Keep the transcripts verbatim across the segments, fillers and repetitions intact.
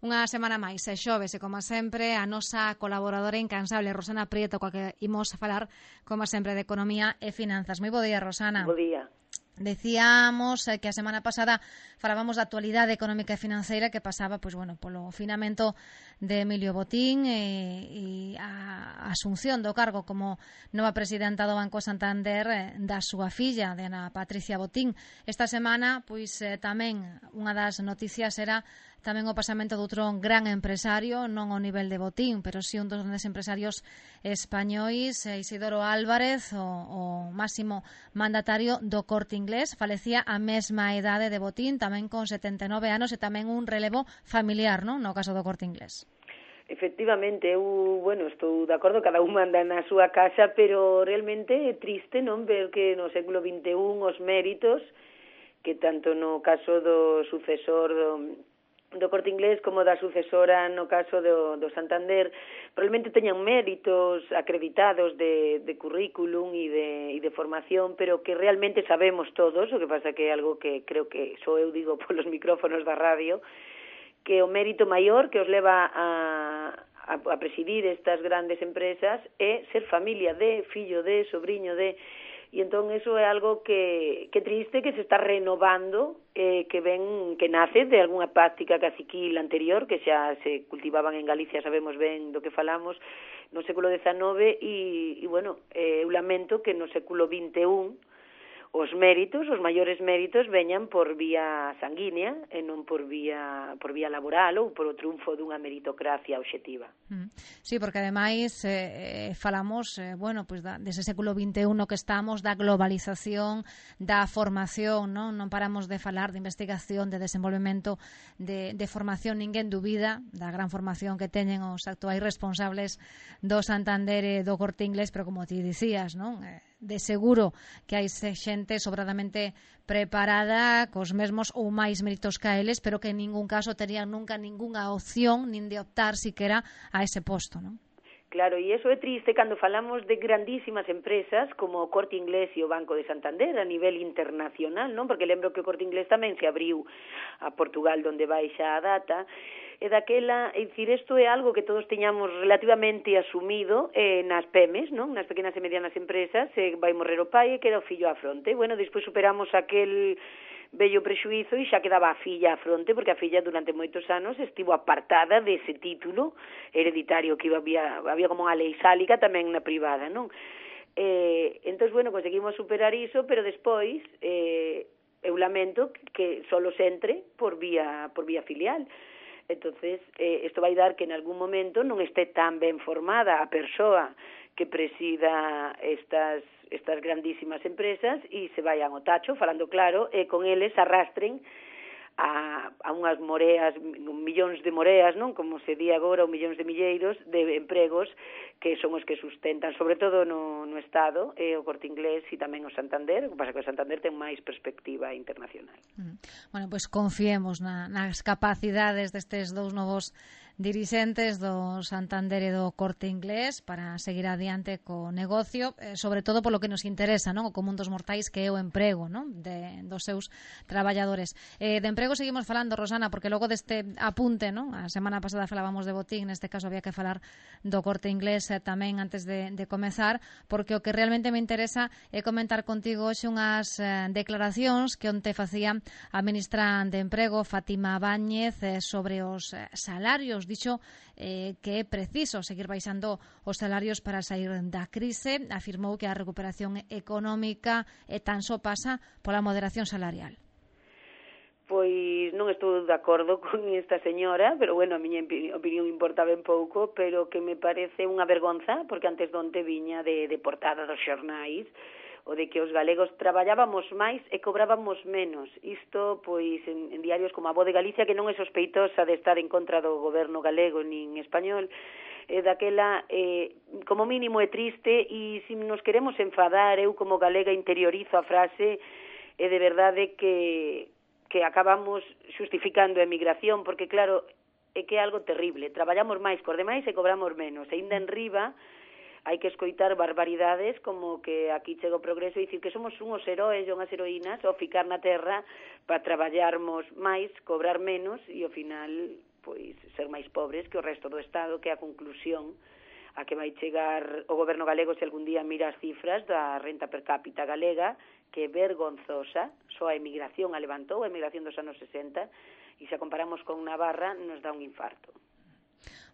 Unha semana máis, e xoves, e como sempre, a nosa colaboradora incansable, Rosana Prieto, coa que imos a falar, como sempre, de economía e finanzas. Moi bo día, Rosana. Bo día. Decíamos que a semana pasada falábamos da actualidade económica e financeira que pasaba, pois bueno, polo finamento de Emilio Botín e, e a asunción do cargo como nova presidenta do Banco Santander da súa filla, de Ana Patricia Botín. Esta semana, pois tamén unha das noticias era tamén o pasamento doutro gran empresario, non ao nivel de Botín, pero si un dos grandes empresarios españois, Isidoro Álvarez, o, o máximo mandatario do Corte Inglés, falecía a mesma idade de Botín, tamén con setenta e nove anos, e tamén un relevo familiar, non, no caso do Corte Inglés. Efectivamente, eu, bueno, estou de acordo, cada un manda na súa casa, pero realmente é triste non ver que no século vinte e un os méritos que tanto no caso do sucesor do do Corte Inglés como da sucesora no caso do, do Santander probablemente teñan méritos acreditados de, de currículum e de, e de formación, pero que realmente sabemos todos, o que pasa que é algo que creo que só eu digo polos micrófonos da radio, que o mérito maior que os leva a, a, a presidir estas grandes empresas é ser familia de, fillo de, sobrinho de. E entón eso é algo que, que triste, que se está renovando, eh, que ven que nace de algunha práctica caciquil anterior, que xa se cultivaban en Galicia, sabemos ben do que falamos, no século dezanove, e, e bueno, eh, eu lamento que no século vinte e un os méritos, os maiores méritos veñan por vía sanguínea e non por vía por vía laboral ou por o triunfo dunha meritocracia obxectiva. Mm. Sí, porque ademais eh, falamos, eh, bueno, pues da, dese século vinte e un no que estamos, da globalización, da formación, non? Non paramos de falar de investigación, de desenvolvemento, de, de formación, ninguén dubida da gran formación que teñen os actuais responsables do Santander e do Corte Inglés, pero como ti dicías, non? Eh, de seguro que hai xente sobradamente preparada cos mesmos ou máis méritos que eles, pero que en ningún caso terían nunca ningunha opción nin de optar siquera a ese posto, non? Claro, e iso é triste cando falamos de grandísimas empresas como o Corte Inglés e o Banco de Santander a nivel internacional, non? Porque lembro que o Corte Inglés tamén se abriu a Portugal, donde vai xa a data, e daquela, é dicir, isto é algo que todos teñamos relativamente asumido eh, nas P E Ms, non? Nas pequenas e medianas empresas, eh, vai morrer o pai e queda o fillo á fronte. Bueno, despois superamos aquel bello prexuízo e xa quedaba a filla á fronte, porque a filla durante moitos anos estivo apartada dese título hereditario que había, había como unha lei sálica tamén na privada, non? Eh, entón, bueno, conseguimos superar iso, pero despois eh, eu lamento que solo se entre por vía, por vía filial. Entonces, eh, isto vai dar que en algún momento non este tan ben formada a persoa que presida estas estas grandísimas empresas e se vayan ao tacho, falando claro, e con eles arrastren a, a unhas moreas, millóns de moreas, non? Como se di agora, ou millóns de milleiros de empregos que son os que sustentan, sobre todo no, no Estado, e o Corte Inglés e tamén o Santander, o que pasa que o Santander ten máis perspectiva internacional. Mm. Bueno, pois pues confiemos na, nas capacidades destes dous novos dirixentes do Santander e do Corte Inglés para seguir adiante co negocio, eh, sobre todo polo que nos interesa, non? O común dos mortais, que é o emprego, non? De, dos seus traballadores. Eh, de emprego seguimos falando, Rosana, porque logo deste apunte, non? A semana pasada falábamos de Botín, neste caso había que falar do Corte Inglés eh, tamén antes de, de comezar, porque o que realmente me interesa é comentar contigo hoxe unhas eh, declaracións que onte facía a ministra de Emprego, Fátima Báñez, eh, sobre os eh, salarios. Dixo eh, que é preciso seguir baixando os salarios para sair da crise. Afirmou que a recuperación económica eh, tan só pasa pola moderación salarial. Pois non estou de acordo con esta señora, pero bueno, a miña opinión importa ben pouco, pero que me parece unha vergonza, porque antes donde viña de, de portada dos xornais, o de que os galegos traballábamos máis e cobrábamos menos. Isto, pois, en, en diarios como a Voz de Galicia, que non é sospeitosa de estar en contra do goberno galego nin español, eh, daquela, eh, como mínimo é triste, e se nos queremos enfadar, eu como galega interiorizo a frase, é de verdade que, que acabamos xustificando a emigración, porque claro, é que é algo terrible. Traballamos máis cos demais e cobramos menos. E ainda en riba, hai que escoitar barbaridades como que aquí chega o progreso e dicir que somos unhos heróis e unhas heroínas ao ficar na terra para traballarmos máis, cobrar menos e ao final pois ser máis pobres que o resto do Estado, que é a conclusión a que vai chegar o goberno galego se algún día mira as cifras da renta per cápita galega, que é vergonzosa. Só a emigración a levantou, a emigración dos anos sesenta, e se a comparamos con Navarra nos dá un infarto.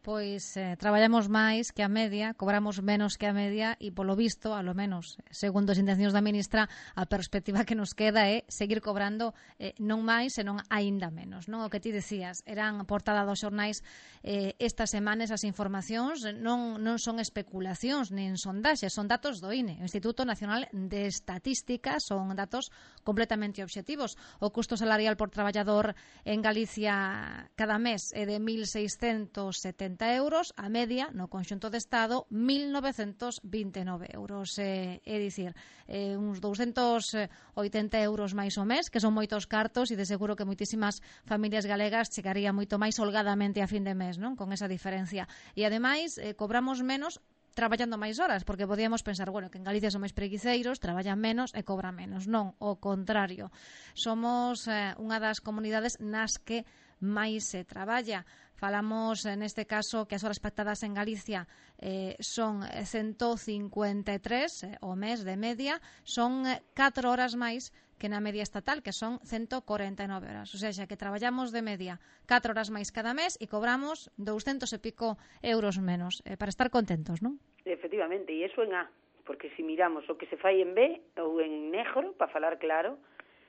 Pois eh, traballamos máis que a media, cobramos menos que a media e, polo visto, a lo menos, segundo as intencións da ministra, a perspectiva que nos queda é seguir cobrando eh, non máis, senón aínda menos. Non? O que ti decías, eran portada dos xornais eh, estas semanas as informacións, non, non son especulacións nin sondaxes, son datos do I N E, o Instituto Nacional de Estatística, son datos completamente obxectivos. O custo salarial por traballador en Galicia cada mes é de mil seiscentos setenta euros, a media no conxunto de Estado mil novecentos vinte e nove euros, eh, é dicir, eh, uns douscentos oitenta euros máis o mes, que son moitos cartos e de seguro que moitísimas familias galegas chegaría moito máis holgadamente a fin de mes, non? Con esa diferencia. E ademais eh, cobramos menos traballando máis horas, porque podíamos pensar, bueno, que en Galicia son máis preguiceiros, traballan menos e cobran menos. Non, o contrario. Somos eh, unha das comunidades nas que máis se traballa. Falamos, neste caso, que as horas pactadas en Galicia eh, son ciento cincuenta e tres eh, o mes de media, son catro horas máis que na media estatal, que son ciento corenta e nove horas. O sea, que traballamos de media catro horas máis cada mes e cobramos douscentos e pico euros menos, eh, para estar contentos, non? Efectivamente, e iso en A, porque se miramos o que se fai en B ou en negro, para falar claro,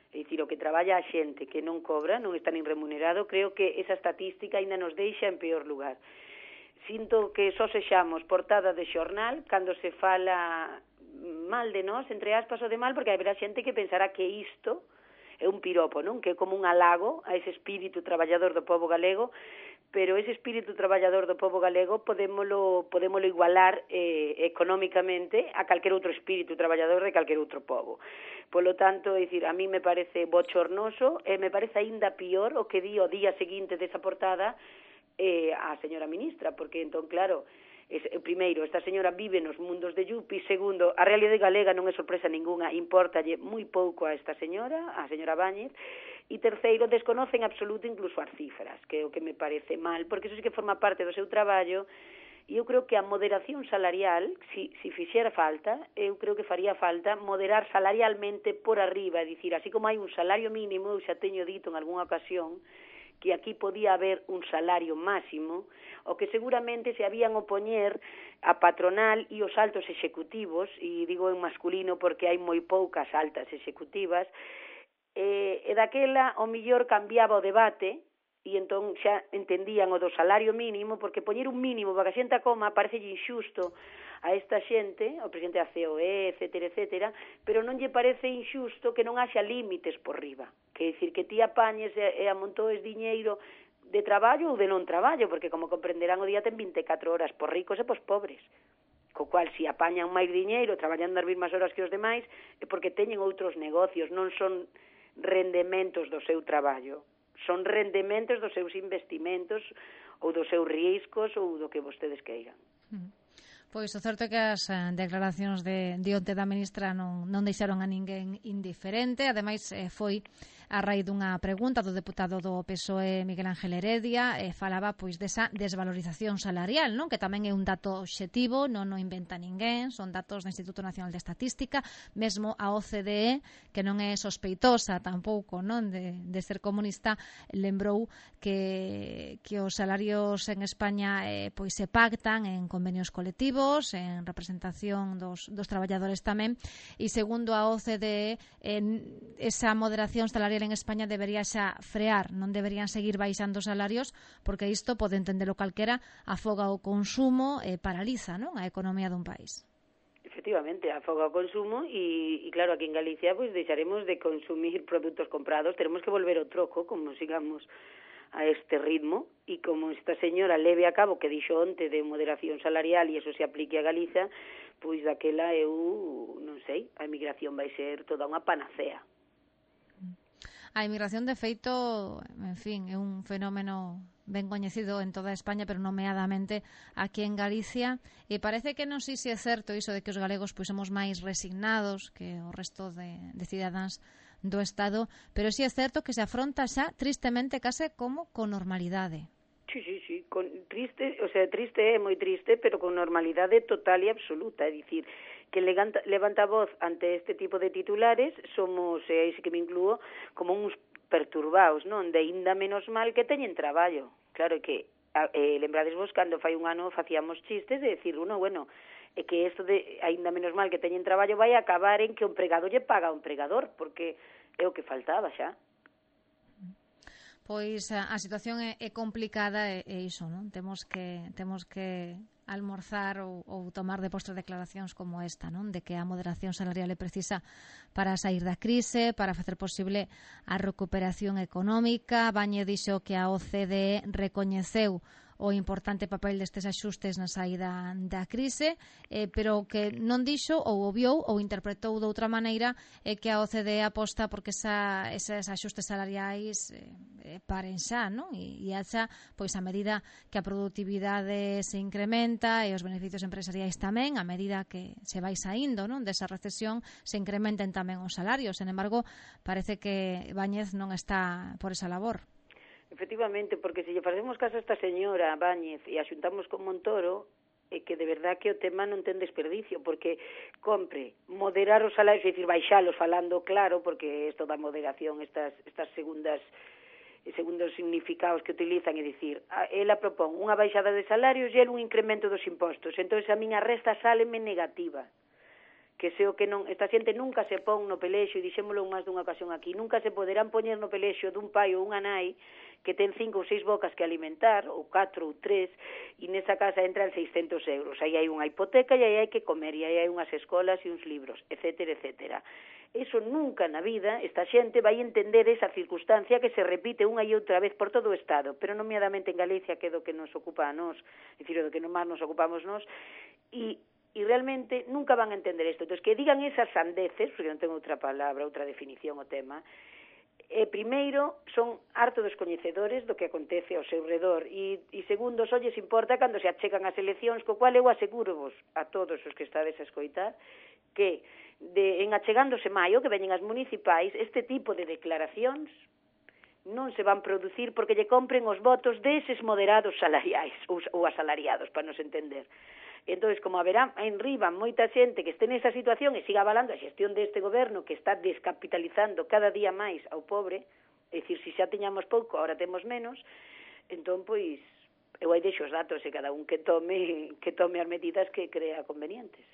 é dicir, o que traballa a xente que non cobra, non está nin remunerado, creo que esa estatística ainda nos deixa en peor lugar. Sinto que só sexamos portada de xornal cando se fala mal de nós, entre aspas, o de mal, porque haberá xente que pensará que isto é un piropo, non? Que é como un halago a ese espírito traballador do povo galego, pero ese espírito traballador do povo galego podémolo, podémolo igualar eh, económicamente a calquer outro espírito traballador de calquer outro povo. Polo tanto, é dicir, a mí me parece bochornoso e me parece aínda pior o que di o día seguinte desa portada eh, a señora ministra, porque entón, claro, es, primeiro, esta señora vive nos mundos de Yupi, segundo, a realidade galega non é sorpresa ninguna, importalle moi pouco a esta señora, a señora Báñez, e terceiro, desconocen absoluto incluso as cifras, que é o que me parece mal, porque iso sí que forma parte do seu traballo, e eu creo que a moderación salarial, si, si fixera falta, eu creo que faría falta moderar salarialmente por arriba, é dicir, así como hai un salario mínimo, eu xa teño dito en algunha ocasión, que aquí podía haber un salario máximo, o que seguramente se habían opoñer a patronal e os altos executivos, e digo en masculino porque hai moi poucas altas executivas, e, e daquela o millor cambiaba o debate, e entón xa entendían o do salario mínimo, porque poñer un mínimo para que a xente a coma parece injusto a esta xente, o presidente da C O E, etcétera, etcétera, pero non lle parece injusto que non haxa límites por riba, que é dicir, que ti apañes e, e amontoes diñeiro de traballo ou de non traballo, porque como comprenderán o día ten vinte e catro horas por ricos e pos pobres, co cual se apañan máis diñeiro traballando as mesmas horas que os demais é porque teñen outros negocios, non son rendementos do seu traballo, son rendementos dos seus investimentos ou dos seus riscos ou do que vostedes queiran. Mm. Pois o certo é que as eh, declaracións de, de onte da ministra non, non deixaron a ninguén indiferente. Ademais, eh, foi a raíz dunha pregunta do deputado do P S O E, Miguel Ángel Heredia, eh, falaba pois desa desvalorización salarial, non? Que tamén é un dato obxectivo, non o inventa ninguén, son datos do Instituto Nacional de Estatística, mesmo a O C D E, que non é sospeitosa tampouco, non, de, de ser comunista, lembrou que, que os salarios en España eh, pois se pactan en convenios colectivos, en representación dos, dos traballadores tamén, e segundo a O C D E, en esa moderación salarial en España debería xa frear, non deberían seguir baixando os salarios, porque isto pode entendelo calquera, afoga o consumo e paraliza, non, a economía dun país. Efectivamente, afoga o consumo e, e claro, aquí en Galicia pois deixaremos de consumir produtos comprados, teremos que volver ao troco, como sigamos a este ritmo, e como esta señora leve a cabo que dixo onte de moderación salarial e eso se aplique a Galiza, pois daquela eu non sei, a emigración vai ser toda unha panacea. A emigración, de feito, en fin, é un fenómeno ben coñecido en toda España, pero nomeadamente aquí en Galicia, e parece que non sei se é certo iso de que os galegos pois somos máis resignados que o resto de, de cidadáns do Estado, pero si é certo que se afronta xa tristemente case como con normalidade. Sí, sí, sí, con triste, o sea, triste é moi triste, pero con normalidade total e absoluta, é dicir, que levanta, levanta voz ante este tipo de titulares, somos, e aí sí que me incluo, como uns perturbados, non? De ainda menos mal que teñen traballo. Claro que, eh, lembrades vos, cando fai un ano facíamos chistes de decir, uno, bueno, é que isto de ainda menos mal que teñen traballo vai acabar en que o empregado lle paga ao empregador, porque é o que faltaba xa. Pois a, a situación é, é complicada e, e iso, non? Temos que temos que almorzar ou, ou tomar de postre declaracións como esta, non? De que a moderación salarial é precisa para sair da crise, para facer posible a recuperación económica. Bañez dixo que a O C D E recoñeceu o importante papel destes axustes na saída da crise, eh, pero que non dixo ou obviou ou interpretou de outra maneira é eh, que a O C D E aposta porque esa, esas axustes salariais eh, paren xa, non? E, e haxa, pois a medida que a produtividade se incrementa e os beneficios empresariais tamén, a medida que se vai saindo, non, desa recesión, se incrementen tamén os salarios. Sen embargo, parece que Bañez non está por esa labor. Efectivamente, porque se lle facemos caso a esta señora Bañez e a xuntamos con Montoro, é que de verdad que o tema non ten desperdicio, porque compre moderar os salarios, é dicir, baixalos falando claro, porque isto da moderación, estas, estas segundas segundos significados que utilizan, é dicir, ela propón unha baixada de salarios e el un incremento dos impostos, entón a miña resta sáleme negativa, que se o que non, esta xente nunca se pon no pelexo, e dixémolo máis dunha ocasión aquí, nunca se poderán poñer no pelexo dun pai ou unha nai que ten cinco ou seis bocas que alimentar, ou catro ou tres, e nesa casa entran seiscentos euros. Aí hai unha hipoteca e aí hai que comer, e aí hai unhas escolas e uns libros, etcétera, etcétera. Eso nunca na vida, esta xente vai entender esa circunstancia que se repite unha e outra vez por todo o Estado, pero nomeadamente en Galicia, que é do que nos ocupa a nós, é dicir, do que máis nos ocupamos nós, e e realmente nunca van a entender isto. Entón, que digan esas sandeces, porque non tengo outra palabra, outra definición o tema, eh, primeiro, son harto descoñecedores do que acontece ao seu redor, e, e segundo, só lles importa cando se achegan as eleccións, co cual eu aseguro vos a todos os que estades a escoitar, que de, en achegándose maio, que veñen as municipais, este tipo de declaracións non se van producir porque lle compren os votos deses moderados salariais, ou, ou asalariados, para nos entender. Entón, como haberá en riba moita xente que este nesa situación e siga avalando a xestión deste goberno que está descapitalizando cada día máis ao pobre, é dicir, se xa teñamos pouco, agora temos menos, entón, pois, eu aí deixo os datos e cada un que tome que tome as medidas que crea convenientes.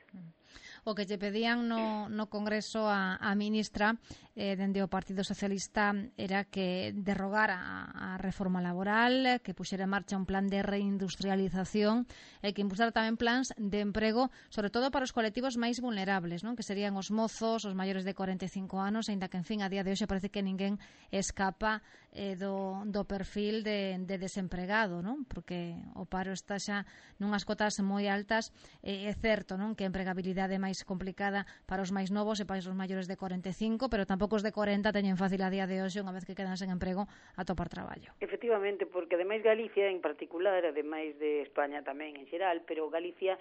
O que lle pedían no, no Congreso a, a ministra eh, dende o Partido Socialista era que derrogara a, a reforma laboral, que puxera en marcha un plan de reindustrialización e que impulsara tamén plans de emprego, sobre todo para os colectivos máis vulnerables, non? Que serían os mozos, os maiores de corenta e cinco anos, aínda que, en fin, a día de hoxe parece que ninguén escapa eh, do, do perfil de, de desempregado, non? Porque o paro está xa nunhas cotas moi altas, eh, é certo, non? Que a empregabilidade é máis complicada para os máis novos e para os maiores de corenta e cinco, pero tampouco os de corenta teñen fácil a día de hoxe, unha vez que quedan sen emprego, a topar traballo. Efectivamente, porque ademais Galicia en particular, ademais de España tamén en xeral, pero Galicia,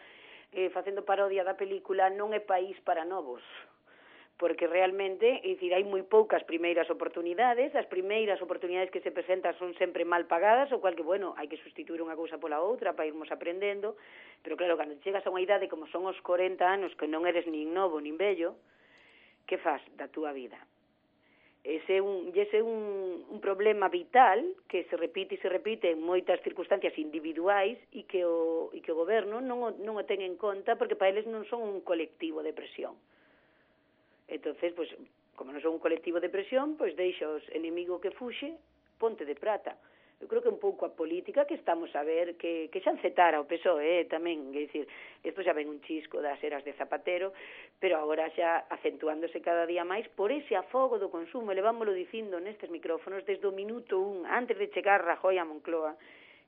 eh, facendo parodia da película, non é país para novos, porque realmente, é dicir, hai moi poucas primeiras oportunidades, as primeiras oportunidades que se presentan son sempre mal pagadas, o cual que, bueno, hai que sustituir unha cousa pola outra para irmos aprendendo, pero claro, cando chegas a unha idade como son os corenta anos, que non eres nin novo nin vello, que faz da túa vida? Ese é un, ese é un, un problema vital que se repite e se repite en moitas circunstancias individuais e que o, e que o goberno non o, non o ten en conta porque para eles non son un colectivo de presión. Entonces, pues, como non son un colectivo de presión, pois deixa os enemigo que fuxe, ponte de prata. Eu creo que un pouco a política que estamos a ver, que, que xa encetara o P S O E eh, tamén, é dicir, isto xa ven un chisco das eras de Zapatero, pero agora xa acentuándose cada día máis por ese afogo do consumo, e levámoslo dicindo nestes micrófonos desde o minuto un, antes de chegar Rajoy a Moncloa,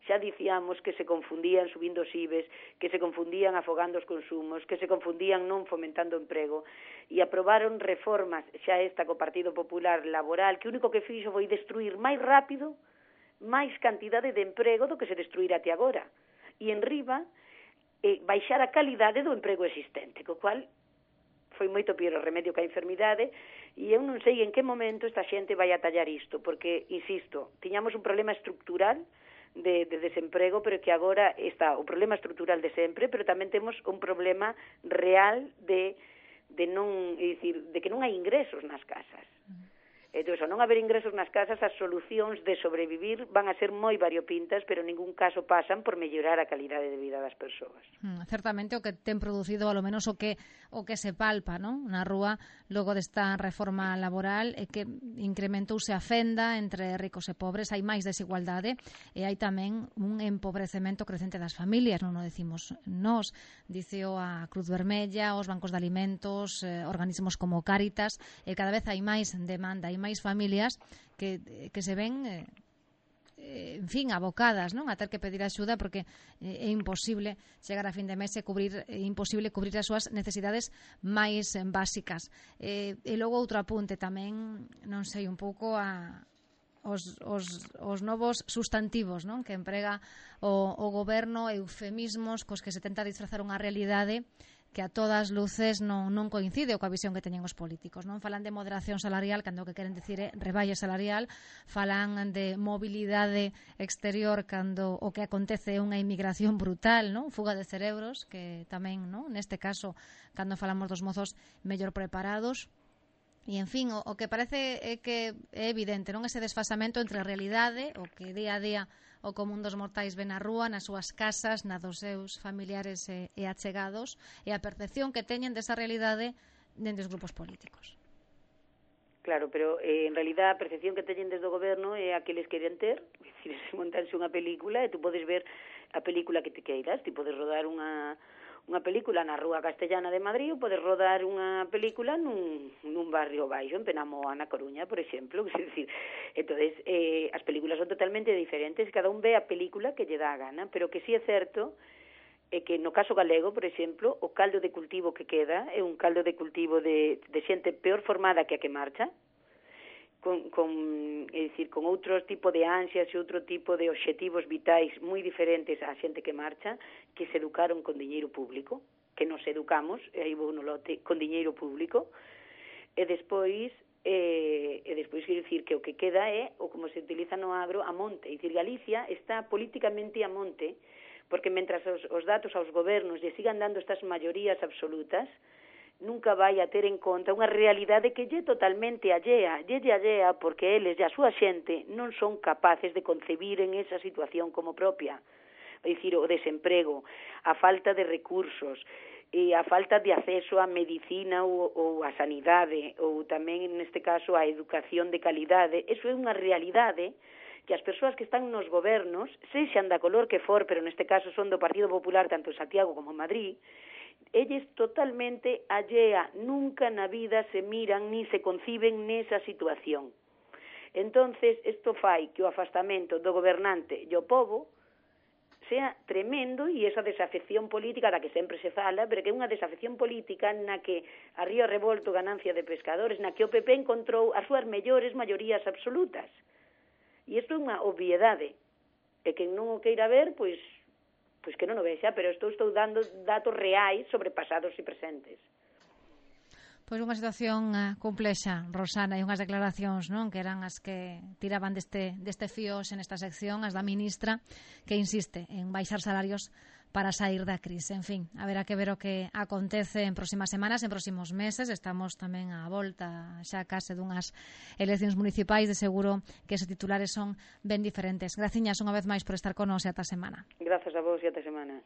xa dicíamos que se confundían subindo os I B E S, que se confundían afogando os consumos, que se confundían non fomentando emprego, e aprobaron reformas, xa esta co Partido Popular laboral, que o único que fixo foi destruir máis rápido máis cantidade de emprego do que se destruirá até agora. E en riba, eh, baixar a calidade do emprego existente, co cual foi moito pior o remedio que a enfermidade, e eu non sei en que momento esta xente vai a tallar isto, porque, insisto, tiñamos un problema estructural de, de desemprego, pero que agora está o problema estrutural de sempre, pero tamén temos un problema real de, de non, é dicir, de que non hai ingresos nas casas. Entón, ao non haber ingresos nas casas, as solucións de sobrevivir van a ser moi variopintas, pero en ningún caso pasan por mellorar a calidade de vida das persoas. Mm, certamente o que ten producido, ao menos o que o que se palpa, non? Na rúa logo desta reforma laboral é que incrementouse a fenda entre ricos e pobres, hai máis desigualdade e hai tamén un empobrecemento crecente das familias, non o decimos nós, diceo a Cruz Vermella, os bancos de alimentos, eh, organismos como Cáritas, e cada vez hai máis demanda, hai máis familias que, que se ven eh, en fin, abocadas, non, a ter que pedir axuda porque eh, é imposible chegar a fin de mes e cubrir, é imposible cubrir as súas necesidades máis eh, básicas. Eh, e logo outro apunte tamén, non sei, un pouco a os, os, os novos sustantivos, non, que emprega o, o goberno, eufemismos cos que se tenta disfrazar unha realidade que a todas luces non, non coincide coa visión que teñen os políticos, non? Falan de moderación salarial, cando o que queren dicir é reballa salarial, falan de mobilidade exterior cando o que acontece é unha inmigración brutal, non? Fuga de cerebros, que tamén, non? Neste caso, cando falamos dos mozos mellor preparados. E, en fin, o, o que parece é que é evidente, non? Ese desfasamento entre a realidade, o que día a día o común dos mortais ven na rúa, nas súas casas, na dos seus familiares e, e achegados, e a percepción que teñen desa realidade dentro dos grupos políticos. Claro, pero eh, en realidad a percepción que teñen desde o goberno é a que les queren ter, é dicir, se montanse unha película e tú podes ver a película que te queiras, ti podes rodar unha unha película na Rúa Castellana de Madrid ou podes rodar unha película nun, nun barrio baixo, en Penamoa, na Coruña, por exemplo. É dicir, entonces, eh, as películas son totalmente diferentes, cada un ve a película que lle dá a gana, pero que sí é certo é que no caso galego, por exemplo, o caldo de cultivo que queda é un caldo de cultivo de, de xente peor formada que a que marcha, con, con, é dicir, con outro tipo de ansias e outro tipo de obxectivos vitais moi diferentes á xente que marcha, que se educaron con diñeiro público, que nos educamos, e aí vou no lote, con diñeiro público, e despois, eh, e despois quero dicir que o que queda é, o como se utiliza no agro, a monte. É dicir, Galicia está políticamente a monte, porque mentras os, os datos aos gobernos lle sigan dando estas maiorías absolutas, nunca vai a ter en conta unha realidade que lle totalmente allea, lle lle allea porque eles e a súa xente non son capaces de concebir en esa situación como propia. É dicir, o desemprego, a falta de recursos, e a falta de acceso á medicina ou, ou á sanidade, ou tamén, neste caso, á educación de calidade. Eso é unha realidade que as persoas que están nos gobernos, sexan da color que for, pero neste caso son do Partido Popular, tanto en Santiago como en Madrid, elles totalmente allea, nunca na vida se miran ni se conciben nesa situación. Entonces, isto fai que o afastamento do gobernante e o povo sea tremendo, e esa desafección política da que sempre se fala, pero que é unha desafección política na que a Río Revolto, ganancia de pescadores, na que o P P encontrou as súas mellores maiorías absolutas. E isto é unha obviedade, e quen non o queira ver, pois pois que non o vexa, pero estou, estou dando datos reais sobre pasados e presentes. Pois unha situación uh, complexa, Rosana, e unhas declaracións, non, que eran as que tiraban deste, deste fíos en esta sección, as da ministra, que insiste en baixar salarios para sair da crise. En fin, haberá que ver o que acontece en próximas semanas, en próximos meses. Estamos tamén á volta xa case dunhas eleccións municipais, de seguro que esos titulares son ben diferentes. Graciñas unha vez máis por estar con nos e ata semana. Grazas a vos e ata semana.